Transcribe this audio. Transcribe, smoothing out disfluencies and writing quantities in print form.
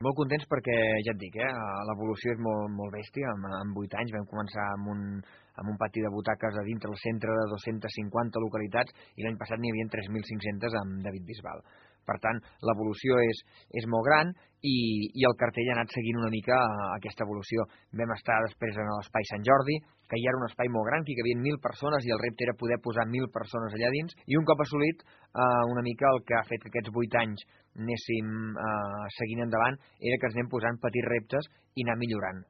Molt contents perquè, ja et dic, l'evolució és molt bèstia. En 8 anys vam començar amb un pati de butaques a dintre el centre de 250 localitats i l'any passat n'hi havia 3.500 amb David Bisbal. Per tant, l'evolució és molt gran i el cartell ha anat seguint una mica aquesta evolució. Vam estar després en l'Espai Sant Jordi, que ja era un espai molt gran, que hi cabien 1.000 persones i el repte era poder posar 1.000 persones allà dins, i un cop assolit, una mica el que ha fet que aquests 8 anys anéssim seguint endavant era que ens anem posant petits reptes i anar millorant.